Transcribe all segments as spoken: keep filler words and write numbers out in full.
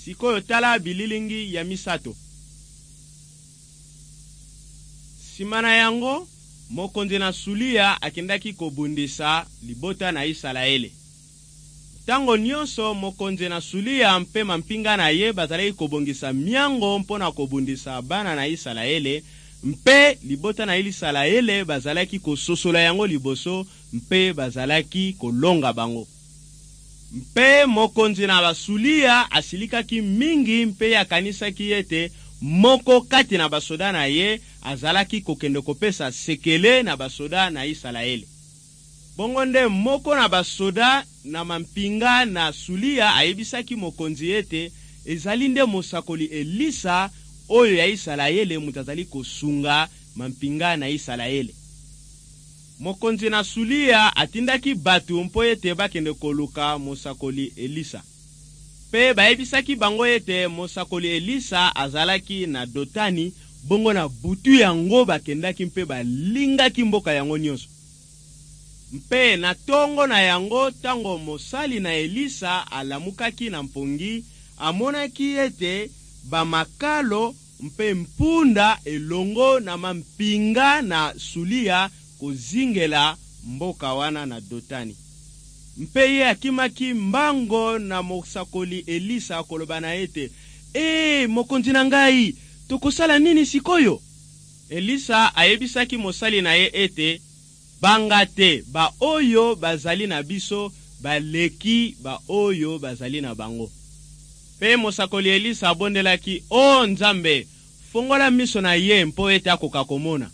Sikoyo tala bililingi ya misato. Nsima na yango, mokonzi na Sulia akendaki kobundisa libota na Isalaele. Ntango nyonso mokonzi na Sulia mpe mampinga na ye bazalaki kobongisa miango mpo na kobundisa bana na Isalaele, mpe libota na Isalaele bazalaki kososola yango liboso mpe bazalaki kolonga bango. Mpe mokonzi na Basulia asilikaki mingi mpe akanisaki ete moko kati na basoda na ye azalaki kokende kopesa sekele na basoda na Isalaele. Bongo nde moko na basoda na mampinga na Sulia ayebisaki mokonzi ete ezali nde mosakoli Elisa oyo ya Isalaele moto azali kosunga mampinga na Isalaele. Mokonzi na Sulia atindaki bato mpo ete bakende koluka mosakoli Elisa. Mpe bayebisaki bango ete mosakoli Elisa azalaki na Dotani. Bongo na butu yango bakendaki mpe balingaki mboka yango nyonso. Mpe na ntongo na yango, ntango mosali na Elisa alamukaki na mpongi, amonaki ete bamakalo mpe mpunda elongo na mampinga na Sulia kozingela mboka wana na Dotani. Mpe ye akimaki mbango na mosakoli Elisa koloba na ete: "Ee mokonzi na ngai, tokosala nini sikoyo?" Elisa ayebisaki mosali na ye ete: "Banga te, baoyo bazali na biso baleki baoyo bazali na bango." Mpe mosakoli Elisa abondelaki: "O Nzambe, fongola miso na ye mpo ete akoka komona."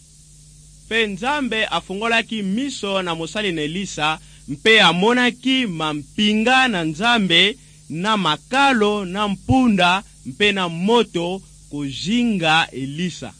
Mpe Nzambe afungolaki miso na mosali na Elisa, mpe amonaki mampinga na Nzambe na makalo na mpunda mpe na moto kozinga Elisa.